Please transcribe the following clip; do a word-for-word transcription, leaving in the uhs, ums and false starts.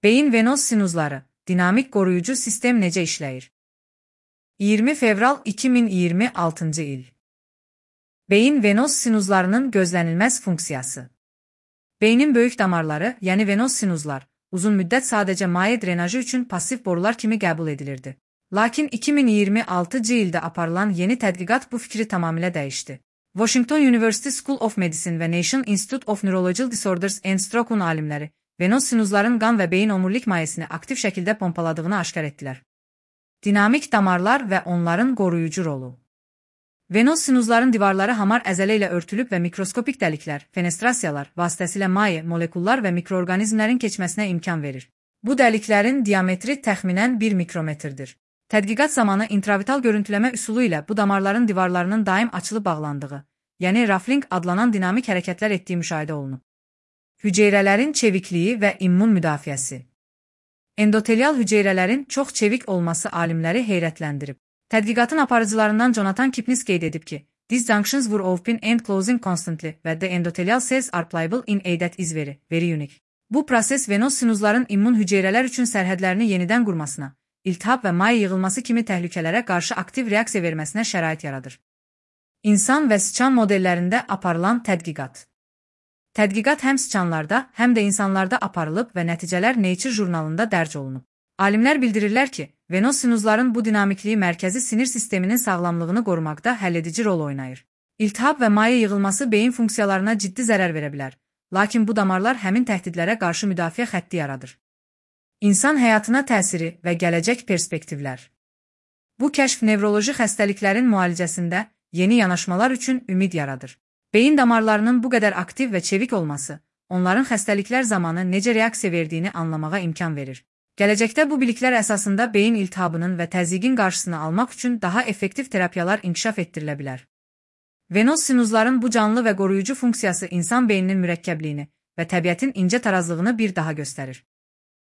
Beyin venoz sinuzları, dinamik qoruyucu sistem necə işləyir? iyirmi fevral iki min iyirmi altıncı il. Beyin venoz sinuzlarının gözlənilməz funksiyası. Beynin böyük damarları, yəni venoz sinuzlar, uzun müddət sadəcə maye drenajı üçün pasiv borular kimi qəbul edilirdi. Lakin iki min iyirmi altıncı ildə aparılan yeni tədqiqat bu fikri tamamilə dəyişdi. Washington University School of Medicine və National Institute of Neurological Disorders and Stroke'un alimləri, venoz sinuzların qan və beyin omurilik mayesini aktiv şəkildə pompaladığını aşkar etdilər. Dinamik damarlar və onların qoruyucu rolu. Venoz sinuzların divarları hamar əzələ ilə örtülüb və mikroskopik dəliklər, fenestrasiyalar vasitəsilə maye, molekullar və mikroorqanizmlərin keçməsinə imkan verir. Bu dəliklərin diametri təxminən bir mikrometrdir. Tədqiqat zamanı intravital görüntüləmə üsulu ilə bu damarların divarlarının daim açılıb bağlandığı, yəni rafling adlanan dinamik hərəkətlər etdiyi müşahidə olunub. Hüceyrələrin çevikliyi və immun müdafiəsi. Endotelial hüceyrələrin çox çevik olması alimləri heyrətləndirib. Tədqiqatın aparıcılarından Jonathan Kipnis qeyd edib ki, these junctions were open and closing constantly və the endothelial cells are pliable in a that is very, very unique. Bu proses venoz sinuzların immun hüceyrələr üçün sərhədlərini yenidən qurmasına, iltihab və maye yığılması kimi təhlükələrə qarşı aktiv reaksiya verməsinə şərait yaradır. İnsan və sıçan modellərində aparılan tədqiqat. Tədqiqat həm sıçanlarda, həm də insanlarda aparılıb və nəticələr Nature jurnalında dərc olunub. Alimlər bildirirlər ki, venoz sinuzların bu dinamikliyi mərkəzi sinir sisteminin sağlamlığını qorumaqda həlledici rol oynayır. İltihab və maye yığılması beyin funksiyalarına ciddi zərər verə bilər, lakin bu damarlar həmin təhdidlərə qarşı müdafiə xətti yaradır. İnsan həyatına təsiri və gələcək perspektivlər. Bu kəşf nevroloji xəstəliklərin müalicəsində yeni yanaşmalar üçün ümid yaradır. Beyin damarlarının bu qədər aktiv və çevik olması, onların xəstəliklər zamanı necə reaksiya verdiyini anlamağa imkan verir. Gələcəkdə bu biliklər əsasında beyin iltihabının və təzyiqin qarşısını almaq üçün daha effektiv terapiyalar inkişaf etdirilə bilər. Venoz sinuzların bu canlı və qoruyucu funksiyası insan beyninin mürəkkəbliyini və təbiətin incə tarazlığını bir daha göstərir.